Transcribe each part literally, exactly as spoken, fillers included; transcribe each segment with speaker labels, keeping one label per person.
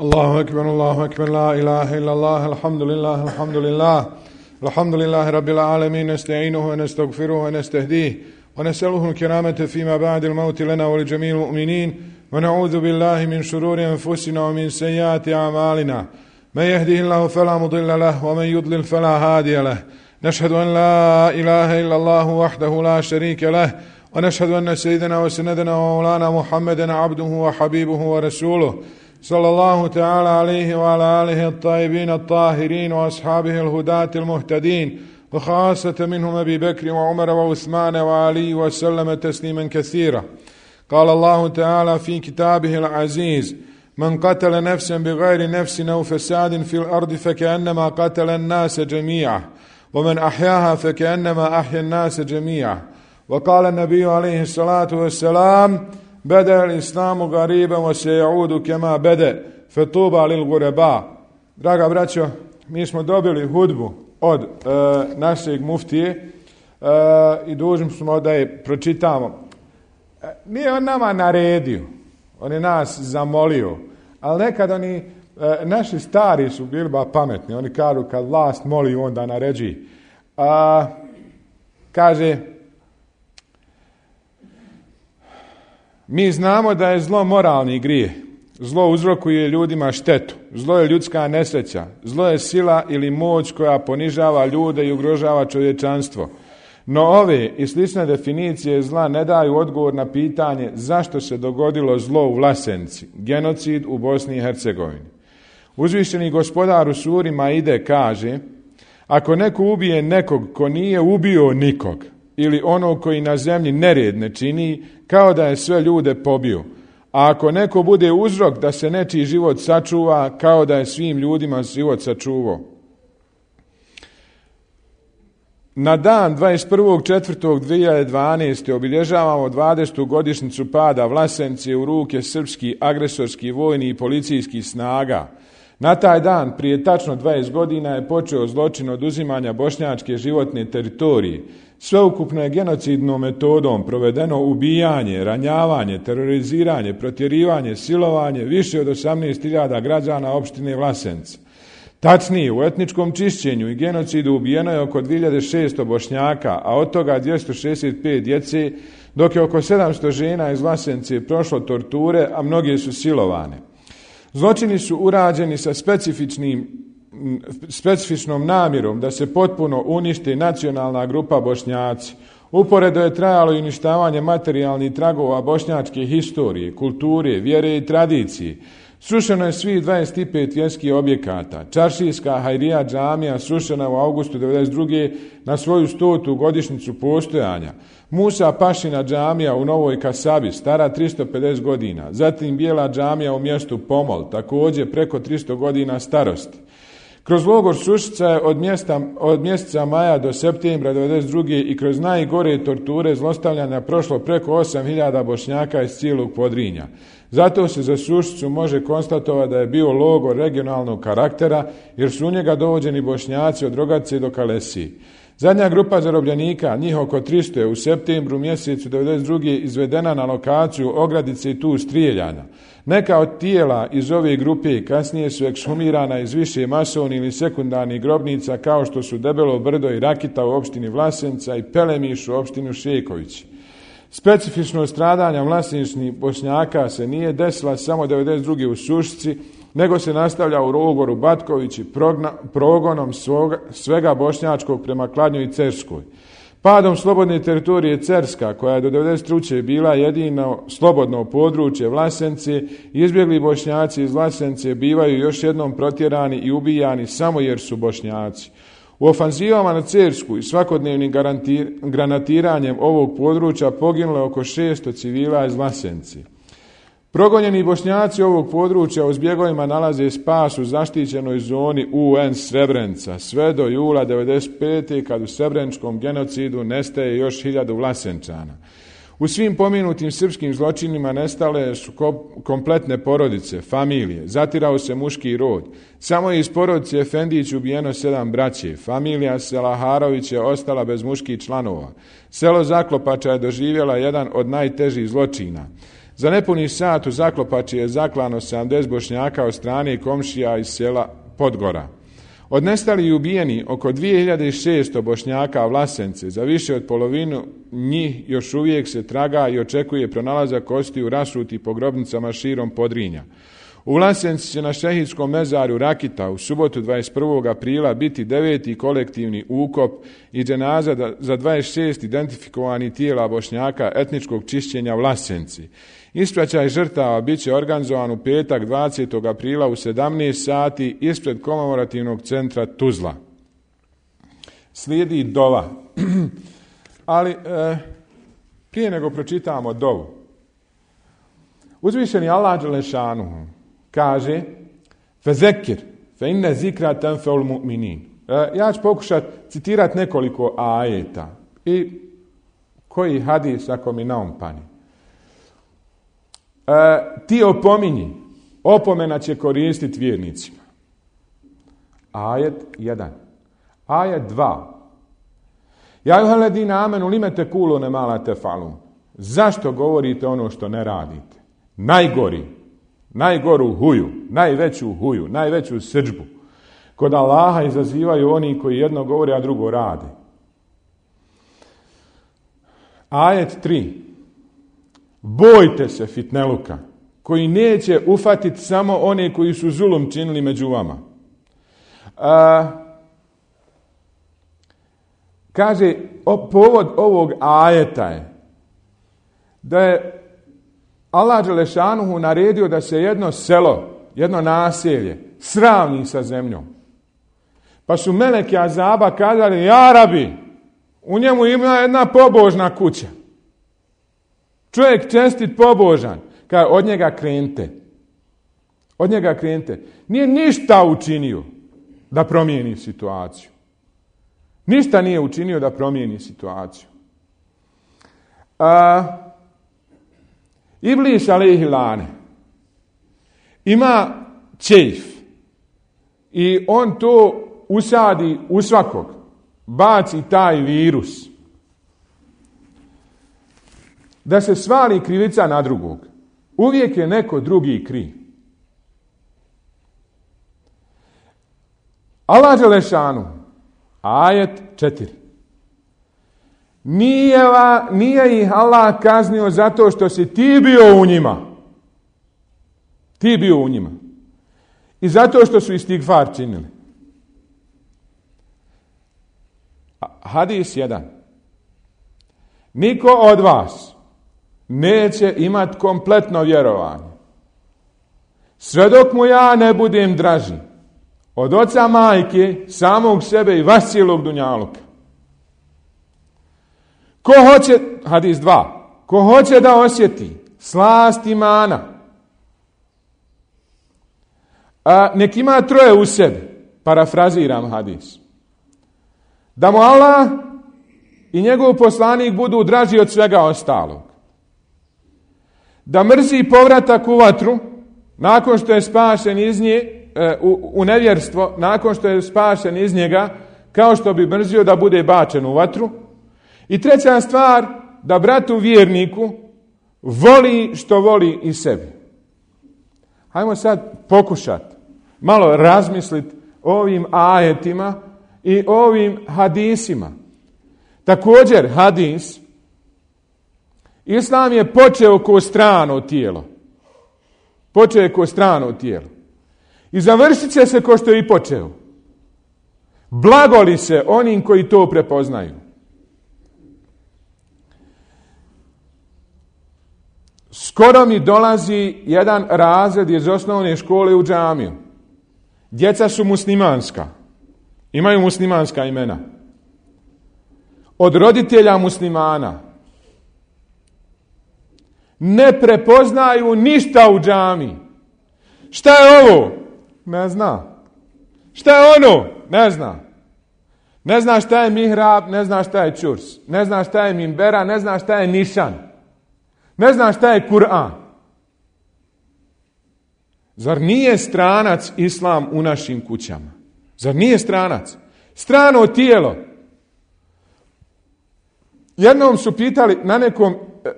Speaker 1: الله أكبر الله أكبر لا إله إلا الله الحمد لله الحمد لله الحمد لله رب العالمين نستعينه ونستغفره ونستهديه ونسأله الكرامة فيما بعد الموت لنا ولجميع المؤمنين ونعوذ بالله من شرور أنفسنا ومن سيئات أعمالنا من يهده الله فلا مضل له ومن يضلل فلا هادي له نشهد أن لا إله إلا الله وحده لا شريك له ونشهد أن سيدنا وسندنا ومولانا محمدا عبده وحبيبه ورسوله صلى الله تعالى عليه وعلى آله الطيبين الطاهرين وأصحابه الهداة المهتدين وخاصة منهم أبي بكر وعمر وعثمان وعلي وسلم تسليما كثيرا. قال الله تعالى في كتابه العزيز: من قتل نفسا بغير نفس أو فساد في الأرض فكأنما قتل الناس جميعا ومن أحياها فكأنما أحيا الناس جميعا. وقال النبي عليه الصلاة والسلام: بدأ الإسلام غريبا وسيعود كما بدأ فطوبى للغرباء. Draga braćo, mi smo dobili hudbu od e, našeg muftije e, i dužni smo da je pročitamo. E, nije on nama naredio, on je nas zamolio, ali nekad oni, e, naši stari su bili ba pametni, oni kažu kad vlast moli onda naređi. A, kaže: mi znamo da je zlo moralni grijeh. Zlo uzrokuje ljudima štetu. Zlo je ljudska nesreća. Zlo je sila ili moć koja ponižava ljude i ugrožava čovječanstvo. No ove i slične definicije zla ne daju odgovor na pitanje zašto se dogodilo zlo u Vlasenci, genocid u Bosni i Hercegovini. Uzvišeni gospodar u suri Maide kaže: ako neko ubije nekog ko nije ubio nikog, ili onog koji na zemlji nered ne čini, kao da je sve ljude pobio. A ako neko bude uzrok da se nečiji život sačuva, kao da je svim ljudima život sačuvao. Na dan dvadeset prvog četvrtog dvije hiljade dvanaeste. obilježavamo dvadesetu godišnjicu pada Vlasence u ruke srpskih agresorskih vojnih i policijskih snaga. Na taj dan, prije tačno dvadeset godina, je počeo zločin oduzimanja bošnjačke životne teritorije. Sveukupno je genocidnom metodom provedeno ubijanje, ranjavanje, teroriziranje, protjerivanje, silovanje više od osamnaest hiljada građana opštine Vlasenca. Tačnije, u etničkom čišćenju i genocidu ubijeno je oko dvije hiljade šesto Bošnjaka, a od toga dvjesto šezdeset pet djece, dok je oko sedamsto žena iz Vlasence prošlo torture, a mnoge su silovane. Zločini su urađeni sa specifičnim, specifičnom namjerom da se potpuno unište nacionalna grupa Bošnjaci. Uporedo je trajalo i uništavanje materijalnih tragova bošnjačke historije, kulture, vjere i tradicije. Srušeno je svih dvadeset pet vjerskih objekata. Čaršijska Hajrija džamija srušena u avgustu devedeset druge. na svoju stotu godišnjicu postojanja. Musa Pašina džamija u Novoj Kasabi, stara tristo pedeset godina. Zatim Bijela džamija u mjestu Pomol, također preko tristo godina starosti. Kroz logor Sušica je od, mjesta, od mjeseca maja do septembra devedeset druge. i kroz najgore torture zlostavljanja prošlo preko osam hiljada Bošnjaka iz cijelog Podrinja. Zato se za Sušicu može konstatovati da je bio logor regionalnog karaktera, jer su u njega dovođeni Bošnjaci od Rogace do Kalesije. Zadnja grupa zarobljenika, njih oko tristo, je u septembru mjesecu devedeset druge. izvedena na lokaciju Ogradice i tu strijeljana. Neka od tijela iz ove grupe kasnije su ekshumirana iz više masovnih ili sekundarnih grobnica, kao što su Debelo brdo i Rakita u opštini Vlasenca i Pelemiš u opštini Šekovići. Specifično stradanja vlasenčnih Bošnjaka se nije desila samo devedeset druge. u Sušici, nego se nastavlja u logoru Batkovići progna, progonom svoga, svega bošnjačkog prema Kladnju i Cerskoj. Padom slobodne teritorije Cerska, koja je do devedeset treće. bila jedino slobodno područje Vlasence, izbjegli Bošnjaci iz Vlasence bivaju još jednom protjerani i ubijani samo jer su Bošnjaci. U ofanzivama na Cersku i svakodnevnim garantir, granatiranjem ovog područja poginulo je oko šesto civila iz Vlasence. Progonjeni Bošnjaci ovog područja u zbjegovima nalaze spas u zaštićenoj zoni U N Srebrenica sve do jula devedeset pete. kad u srebreničkom genocidu nestaje još hiljadu Vlasenčana. U svim pomenutim srpskim zločinima nestale su kompletne porodice, familije, zatirao se muški rod. Samo je iz porodice Efendić ubijeno sedam braće. Familija Selaharović je ostala bez muških članova. Selo Zaklopača je doživjela jedan od najtežih zločina. Za nepuni sat u Zaklopači je zaklano sedamdeset Bošnjaka od strane komšija iz sela Podgora. Od nestalih i ubijeni oko dvije hiljade šesto Bošnjaka Vlasence, za više od polovinu njih još uvijek se traga i očekuje pronalazak kostiju rasuti po grobnicama širom Podrinja. U Vlasenci će na šehidskom mezaru Rakita u subotu dvadeset prvog aprila biti deveti kolektivni ukop i dženaza za dvadeset šest identifikovanih tijela Bošnjaka etničkog čišćenja Vlasenci. Ispraćaj žrtava bit će organizovan u petak dvadesetog aprila u sedamnaest sati ispred komemorativnog centra Tuzla. Slijedi dova. Ali e, prije nego pročitamo dovu. Uzvišeni Allah dželešanu kaže fezekir fe inne zikra tenfeul mu'minin. Ja ću pokušati citirati nekoliko ajeta i koji hadis ako mi naumpani. E, ti opominji, opomena će koristiti vjernicima. Ajet jedan. Ajet dva. Ja juhaledina amenu limete kulo ne mala tefalun. Zašto govorite ono što ne radite? Najgori, najgoru huju, najveću huju, najveću srdžbu. Kod Allaha izazivaju oni koji jedno govore, a drugo rade. Ajet tri. Bojte se fitneluka, koji neće ufatiti samo one koji su zulum činili među vama. A, kaže, o, povod ovog ajeta je da je Allah dželešanuhu naredio da se jedno selo, jedno naselje sravni sa zemljom. Pa su meleki azaba kazali, ja rabi, u njemu ima jedna pobožna kuća. Čovjek čestit pobožan, kaže od njega krenite. Od njega krenite. Nije ništa učinio da promijeni situaciju. Ništa nije učinio da promijeni situaciju. A, Iblis alejhi lane ima čejf i on to usadi u svakog. Baci taj virus. Da se svali krivica na drugog. Uvijek je neko drugi kriv. Allah dželešanu, ajet četiri. Nije, va, nije ih Allah kaznio zato što si ti bio u njima. Ti bio u njima. I zato što su istigfar činili. Hadis jedan. Niko od vas neće imati kompletno vjerovanje. Sve dok mu ja ne budem draži od oca majke, samog sebe i vas cijelog dunjaluka. Ko hoće, hadis dva, ko hoće da osjeti slast imana, a nek ima troje u sebi, parafraziram hadis. Da mu Allah i njegov poslanik budu draži od svega ostalog. Da mrzi povratak u vatru, nakon što je spašen iz nje, u, u nevjerstvo, nakon što je spašen iz njega, kao što bi mrzio da bude bačen u vatru. I treća stvar, da bratu vjerniku voli što voli i sebi. Hajmo sad pokušati malo razmisliti o ovim ajetima i ovim hadisima. Također hadis, Islam je počeo ko strano tijelo. Počeo je ko strano tijelo. I završit će se ko što je i počeo. Blagoli se onim koji to prepoznaju. Skoro mi dolazi jedan razred iz osnovne škole u džamiju. Djeca su muslimanska. Imaju muslimanska imena. Od roditelja muslimana. Ne prepoznaju ništa u džamiji. Šta je ovo? Ne zna. Šta je ono? Ne zna. Ne zna šta je mihrab, ne zna šta je čurs. Ne zna šta je minbera, ne zna šta je nišan. Ne zna šta je Kur'an. Zar nije stranac islam u našim kućama? Zar nije stranac? Strano tijelo. Jednom su pitali na nekom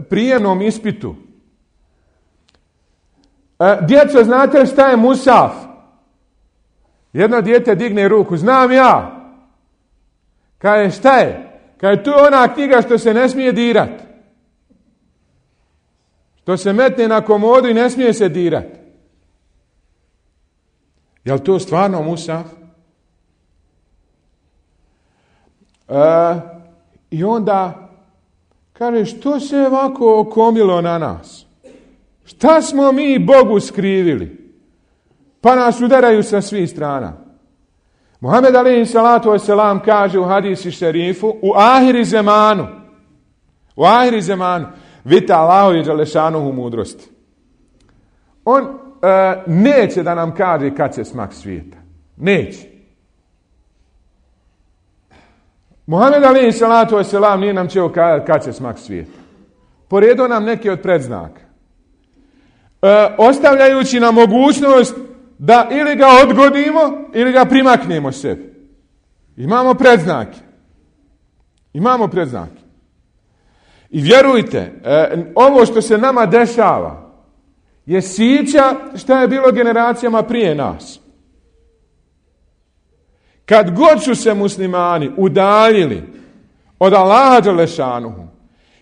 Speaker 1: prijemnom ispitu E, djeco, znate šta je musaf? Jedno dijete digne ruku, znam ja. Kaže, šta je? Kaže, tu je ona knjiga što se ne smije dirati. Što se metne na komodu i ne smije se dirati. Je li to stvarno musaf? E, I onda kaže, što se ovako okomilo na nas? Šta smo mi Bogu skrivili? Pa nas udaraju sa svih strana. Muhammed alejhi salatu vesselam kaže u hadisi šerifu, u ahiri zemanu, u ahiri zemanu, vidite Allahovi dželešanuhu mudrosti. On e, neće da nam kaže kad će smak svijeta. Neće. Muhammed alejhi salatu vesselam nije nam čeo kad će smak svijeta. Poredio nam neke od predznaka. E, ostavljajući nam mogućnost da ili ga odgodimo ili ga primaknemo sebi. Imamo predznake. Imamo predznake. I vjerujte, e, ovo što se nama dešava je sića šta je bilo generacijama prije nas. Kad god su se muslimani udaljili od Allaha dželešanuhu,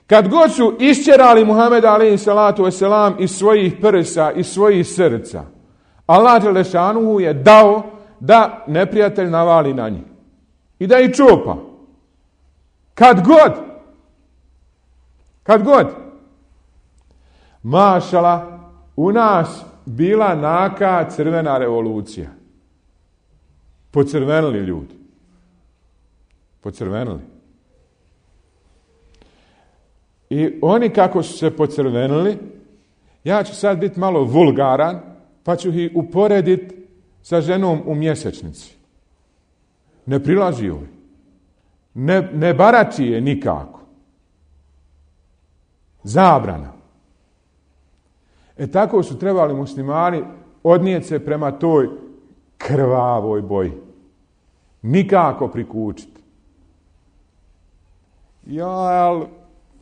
Speaker 1: kad god su išćerali Muhameda alejhi salatu vesselam iz svojih prsa, iz svojih srca, Allah dželešanuhu je dao da neprijatelj navali na njih. I da ih čupa. Kad god. Kad god. Mašala, u nas bila naka crvena revolucija. Pocrvenili ljudi. Pocrvenili. I oni kako su se pocrvenili, ja ću sad biti malo vulgaran, pa ću ih uporediti sa ženom u mjesečnici. Ne prilazi joj. Ne, ne barači je nikako. Zabrana. E tako su trebali muslimani odnijeti se prema toj krvavoj boji. Nikako prikučiti. Jel,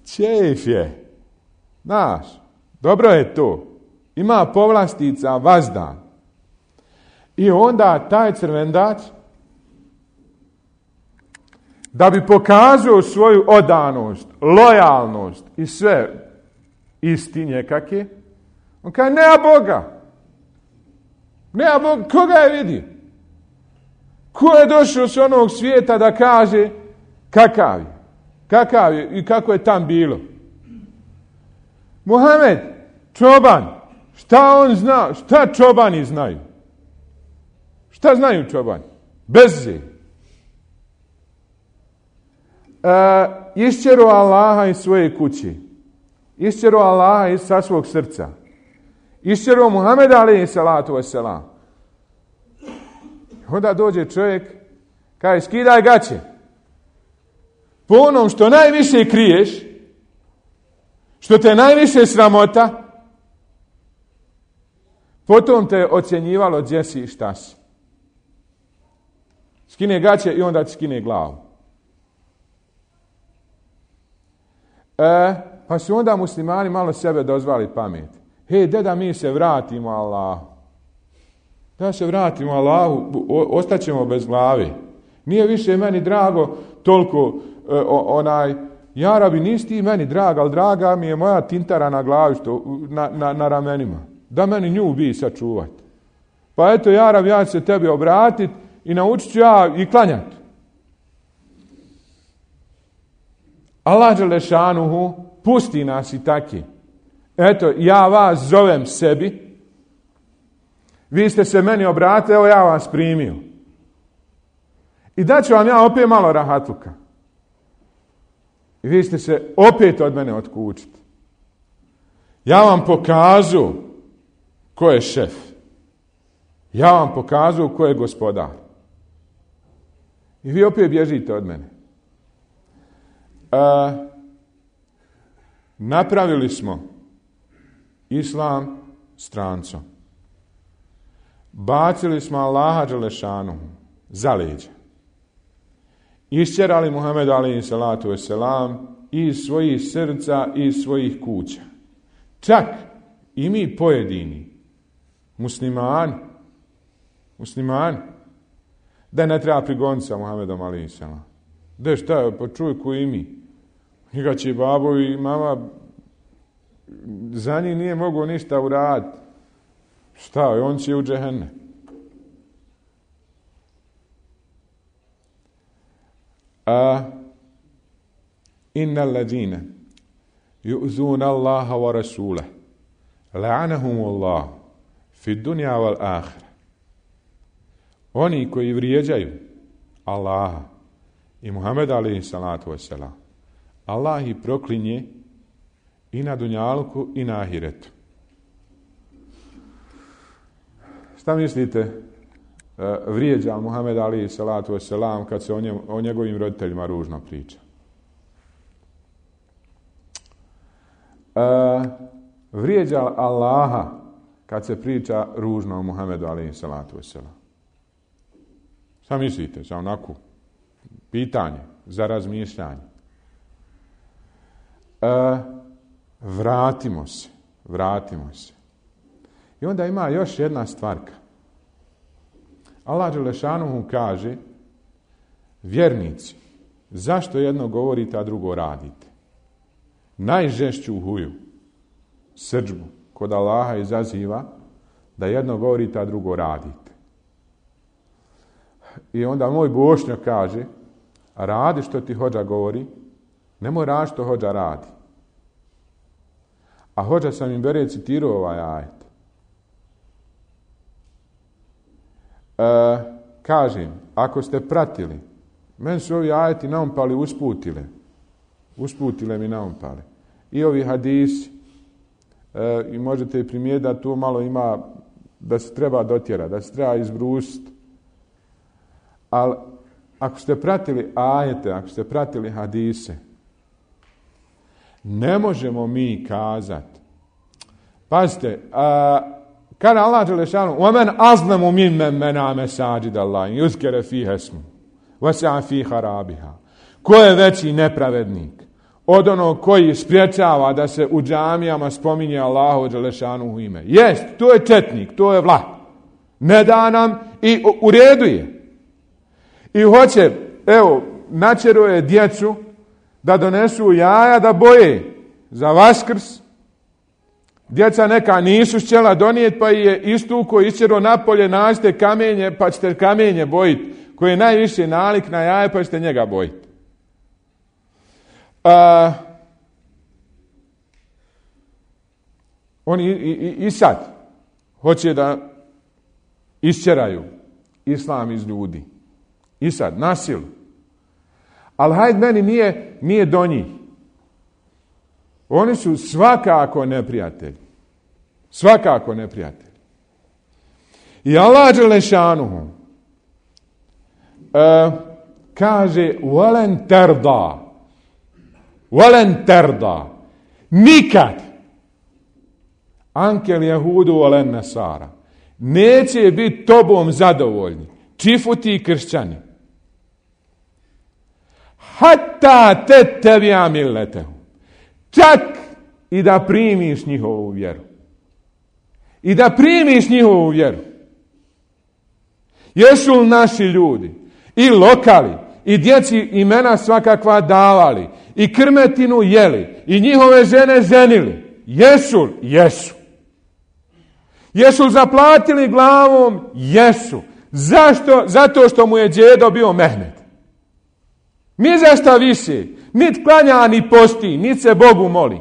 Speaker 1: čef je. Znaš, dobro je to. Ima povlastica vazdan. I onda taj crvendač, da bi pokazao svoju odanost, lojalnost i sve istinje kakve, on kaže, nema Boga. Nema Boga. Koga je vidio? Ko je došao s onog svijeta da kaže kakav je? Kakav je i kako je tam bilo? Muhammed, čoban. Šta on zna? Šta čobani znaju? Šta znaju čobani? Bezze. E, išćeru Allaha iz svoje kuće. Išćeru Allaha iz sa svog srca. Išćeru Muhameda alejhi salatu vesselam. Onda dođe čovjek, kaže, skidaj gaće. Po onom što najviše kriješ, što te najviše sramota, potom te ocjenjivalo gdje si i šta si. Skine gaće i onda ti skine glavu. E, pa su onda muslimani malo sebe dozvali pamet. Hej, deda, mi se vratimo Allahu. Da se vratimo Allahu, ostaćemo bez glave. Nije više meni drago toliko e, onaj, ja rabi, nisi ti meni draga, ali draga mi je moja tintara na glavi, što, na, na, na ramenima. Da meni nju bi sačuvati. Pa eto, ja rabi, ja ću se tebi obratiti i naučit ću ja i klanjati. Allah dželešanuhu pusti nas i taki. Eto, ja vas zovem sebi, vi ste se meni obratili, evo ja vas primio. I daću vam ja opet malo rahatluka. I vi ste se opet od mene otkučiti. Ja vam pokazu ko je šef. Ja vam pokazu ko je gospodar. I vi opet bježite od mene. E, napravili smo islam strancom. Bacili smo Allaha dželešanu za leđa. Išćerali Muhammed alejhi salatu vesselam iz svojih srca i iz svojih kuća. Čak i mi pojedini Muslimani. Muslimani. Da ne treba prigoniti sa Muhammedom alejhi selam. Da šta je, pa čuj ko i mi. Njega će babo i mama, za njih nije mogao ništa uraditi. Šta je, on će u džehennem. A innal ladina yu'zuna Allaha wa rasulahu la'anahum Allah fi dunya wal akhirah. Oni koji vrijeđaju Allaha i Muhameda alejhi salatu vesselam, Allah ih proklinje i na dunjalku i na ahiretu. Šta mislite? Vrijeđa Muhammed alejhi salatu vesselam kad se o, njem, o njegovim roditeljima ružno priča. E, vrijeđa Allaha kad se priča ružno o Muhammedu alejhi salatu vesselam. Šta mislite? Za onako pitanje za razmišljanje. E, vratimo se, vratimo se. I onda ima još jedna stvarka. Allah dželešanuhu kaže, vjernici, zašto jedno govorite, a drugo radite? Najžešću huju, srdžbu, kod Allaha izaziva da jedno govorite, a drugo radite. I onda moj Bošnjak kaže, radi što ti hođa govori, nemoj radi što hođa radi. A hođa sam im bere citirao ovaj ajet. E, kažem, ako ste pratili, meni su ovi ajeti naumpali, usputile. Usputile mi naumpali. I ovi hadisi, e, i možete i primijetiti da tu malo ima, da se treba dotjerati, da se treba izbrusiti. Ali ako ste pratili ajete, ako ste pratili hadise, ne možemo mi kazati. Pazite, a, kada Allah dželešanu, وَمَنْ أَظْلَمُ مِمَّنْ مَنَعَ مَسَاجِدَ اللَّهِ يُذْكَرَ فِيهَا اسْمُهُ وَسَعَ فِي خَرَابِهَا. Ko je veći nepravednik od onog koji spriječava da se u džamijama spominje Allahu dželešanu ime? Jest, to je četnik, to je vlah. Ne da nam i u, u redu je. I hoće, evo, načeruje djecu da donesu jaja da boje za Vaskrs. Djeca neka nisu htjela donijeti, pa je istuko isčero napolje, nađite kamenje, pa ćete kamenje bojiti, koji je najviše nalik na jaje, pa ćete njega bojiti. A, oni i, i, i sad hoće da isčeraju islam iz ljudi. I sad, na silu. Ali hajde, meni nije, nije do njih. Oni su svakako neprijatelji. Svakako neprijatelji. I Allah dželešanuhu uh, kaže وَلَنْ تَرْضَى وَلَنْ تَرْضَى nikad ankel jehudu وَلَنْ nasara neće biti tobom zadovoljni. Čifuti i kršćani. Hatta te tebija milletehu. Čak i da primiš njihovu vjeru. I da primiš njihovu vjeru. Jesu li naši ljudi i lokali i djeci imena svakakva davali i krmetinu jeli i njihove žene ženili? Jesu li? Jesu. Jesu li zaplatili glavom? Jesu. Zašto? Zato što mu je djedo bio Mehmed. Ni za šta više. Nit klanja, ni posti, nit se Bogu moli.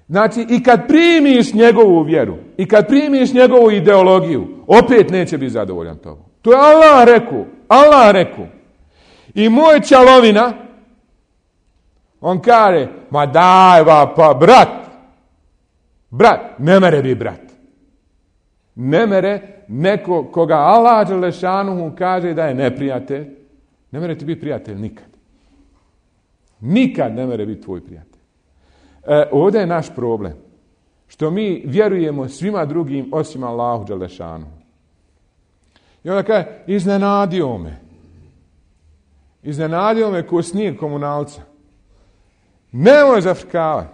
Speaker 1: Znači, i kad primiš njegovu vjeru, i kad primiš njegovu ideologiju, opet neće biti zadovoljan tobom. To je Allah rekao. Allah rekao. I moj čalovina, on kaže, ma daj va, pa brat, brat, ne mere bi brat. Ne mere neko koga Allah dželešanuhu kaže da je neprijatelj, ne mere ti biti prijatelj nikad. Nikad ne mere biti tvoj prijatelj. E, ovdje je naš problem. Što mi vjerujemo svima drugim osim Allahu dželešanuhu. I onda kaže, iznenadio me. Iznenadio me ko snijeg komunalca. Nemoj zafrkavati.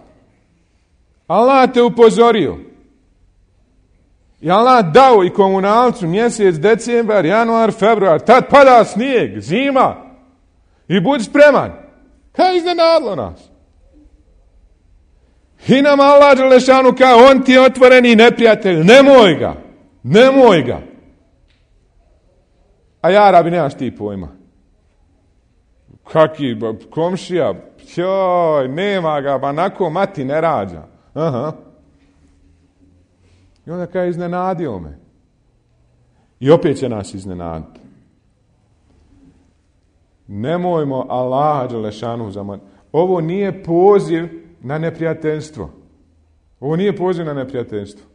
Speaker 1: Allah te upozorio. I Allah dao i komunalcu mjesec, decembar, januar, februar, tad pada snijeg, zima. I budi spreman. Kaj iznenadilo nas? I nam Allah dželešanu kao, on ti je otvoreni neprijatelj, nemoj ga, nemoj ga. A ja, Arabi, nemaš ti pojma. Kaki, komšija, joj, nema ga, ba nako mati ne rađa. Aha. I onda kao iznenadio me. I opet će nas iznenaditi. Nemojmo Allaha dželešanu zamoriti. Ovo nije poziv na neprijateljstvo. Ovo nije poziv na neprijateljstvo.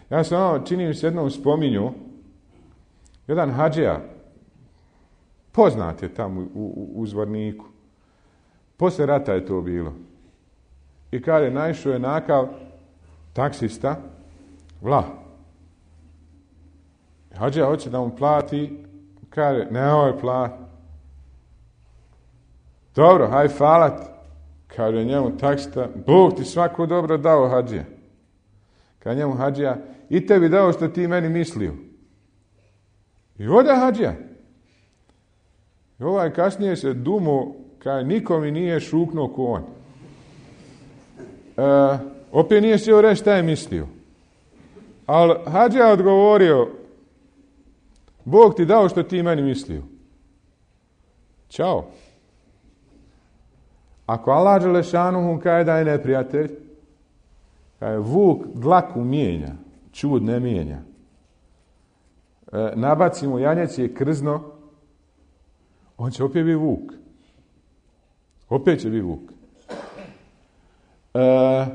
Speaker 1: Ja sam ono, čini mi se jednom spominju, jedan hadžija, poznat je tamo u, u, u Zvorniku. Posle rata je to bilo. I kada je naišao je nakav taksista, vlah. Hadžija hoće da mu plati, kaže, ne ovoj plati. Dobro, haj falat. Kaže njemu taksista, Bog ti svako dobro dao, hadžija. Kaže njemu hadžija, i tebi dao što ti meni mislio. I ode hadžija. I ovaj kasnije se dumo, kaže, niko mi nije šuknuo ko on. E, opet nije sjeo reći šta je mislio. Ali hadžija odgovorio, Bog ti dao što ti meni mislio. Ćao. Ako Allah dželešanuhu kaže da je neprijatelj, kaže vuk dlaku mijenja, čud ne mijenja. E, nabaci mu janjec je krzno, on će opet biti vuk. Opet će biti vuk. E,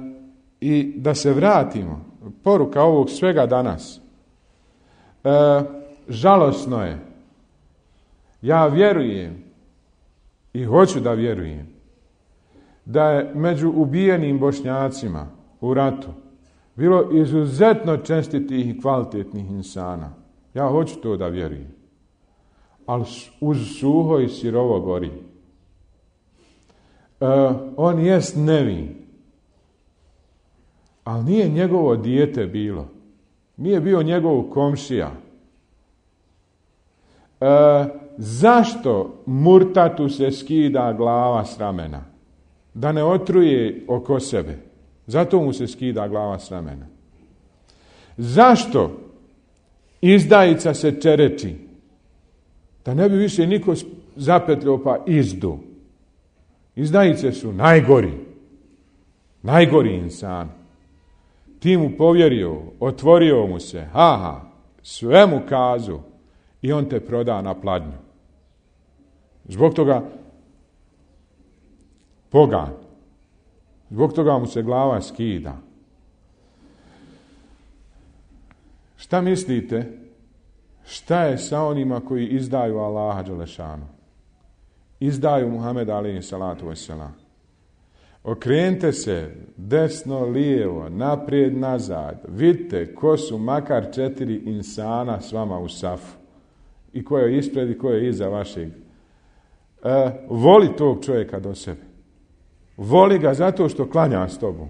Speaker 1: I da se vratimo, poruka ovog svega danas. E, žalosno je. Ja vjerujem i hoću da vjerujem da je među ubijenim Bošnjacima u ratu bilo izuzetno čestitih i kvalitetnih insana. Ja hoću to da vjerujem. Ali uz suho i sirovo gori. E, on jest nevin. Ali nije njegovo dijete bilo. Nije bio njegov komšija. E, zašto murtatu se skida glava s ramena? Da ne otruje oko sebe. Zato mu se skida glava s ramena. Zašto izdajica se čereči? Da ne bi više niko zapetljao pa izdu. Izdajice su najgori. Najgori insan. Ti mu povjerio, otvorio mu se, haha, sve mu kazu i on te proda na pladnju. Zbog toga pogan. Zbog toga mu se glava skida. Šta mislite? Šta je sa onima koji izdaju Allaha dželešanu? Izdaju Muhameda alejhi salatu vesselam. Okrenite se desno, lijevo, naprijed, nazad. Vidite ko su makar četiri insana s vama u safu. I ko je ispred i ko je iza vašeg. E, voli tog čovjeka do sebe. Voli ga zato što klanja s tobom.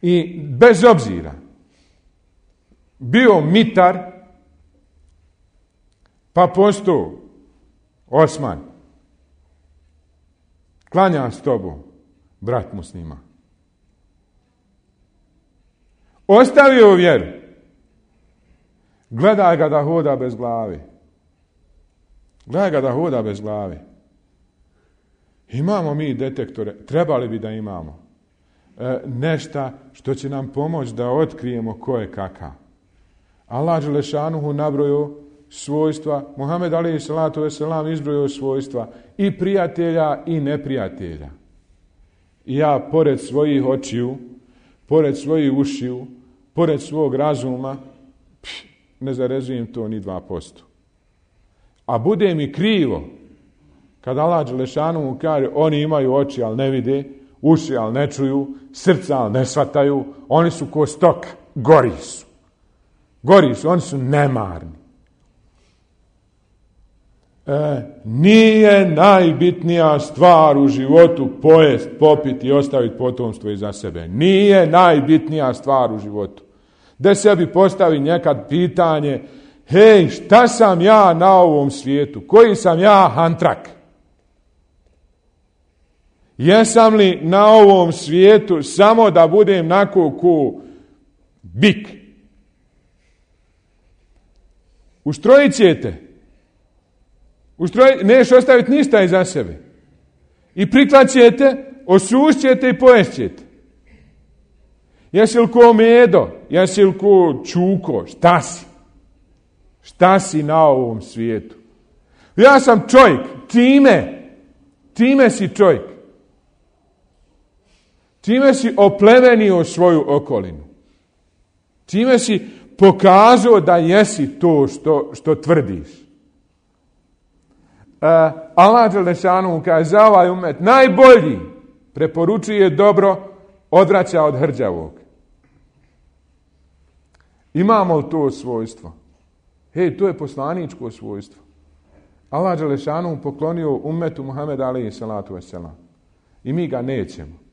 Speaker 1: I bez obzira bio mitar pa postao Osman. Klanja s tobom, brat muslima. Ostavio vjeru. Gledaj ga da hoda bez glave. Gledaj ga da hoda bez glave. Imamo mi detektore, trebali bi da imamo. E, nešta što će nam pomoći da otkrijemo ko je kakav. Allah dželešanuhu nabrojio svojstva, Muhammed alejhi salatu vesselam izbrojio svojstva i prijatelja i neprijatelja. I ja pored svojih očiju, pored svojih ušiju, pored svog razuma, pš, ne zarezujem to ni dva posto. A bude mi krivo, kad Allah dželešanuhu kaže, oni imaju oči, ali ne vide, uši, ali ne čuju, srca, ali ne shvataju, oni su ko stok, gori su. Gori su, oni su nemarni. E, nije najbitnija stvar u životu pojest, popiti i ostaviti potomstvo iza sebe. Nije najbitnija stvar u životu. Da sebi postavi nekad pitanje, hej, šta sam ja na ovom svijetu? Koji sam ja hantrak? Jesam li na ovom svijetu samo da budem nako ko bik? Uštrojit ćete. Uštrojit, neš ostaviti ništa iza sebe. I priklat ćete, osušt ćete i pojest ćete. Jesi li ko medo? Jesi li ko čuko? Šta si? Šta si na ovom svijetu? Ja sam čovjek. Time. Time si čovjek. Time si oplemenio svoju okolinu. Time si pokazao da jesi to što, što tvrdiš. Uh, Allah dželešanu kaže za ovaj umet najbolji, preporučuje dobro, odvraća od hrđavog. Imamo li to svojstvo? Hej, to je poslaničko svojstvo. Allah dželešanu poklonio umetu Muhameda alejhi salatu vesselam. I mi ga nećemo.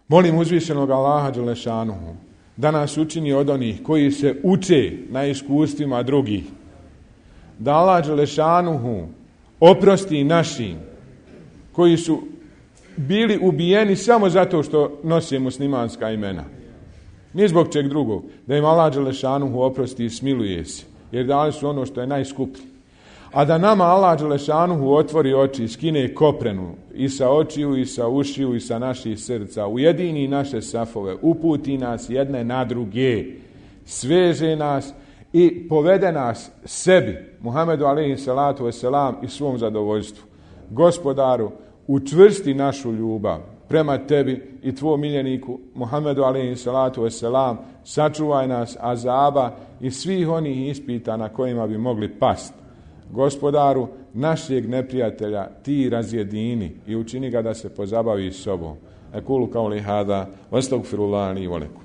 Speaker 1: Molim uzvišenog Allaha dželešanuhu da nas učini od onih koji se uče na iskustvima drugih. Da Allah dželešanuhu oprosti našim koji su bili ubijeni samo zato što nose muslimanska imena. Ni zbog čeg drugog. Da im Allah dželešanuhu oprosti i smiluje se. Jer dali su ono što je najskuplje. A da nama Allah dželešanuhu otvori oči i skine koprenu i sa očiju i sa ušiju i sa naših srca. Ujedini naše safove. Uputi nas jedne na druge. Sveže nas i povede nas sebi, Muhammedu alejhi salatu vesselam, i svom zadovoljstvu. Gospodaru, učvrsti našu ljubav prema tebi i tvojom miljeniku Muhammedu alejhi salatu vesselam, sačuvaj nas azaba i svih onih ispita na kojima bi mogli pasti. Gospodaru, našeg neprijatelja ti razjedini i učini ga da se pozabavi s sobom. Ekulu kauli hada, vastagfirullahi li wa lakum.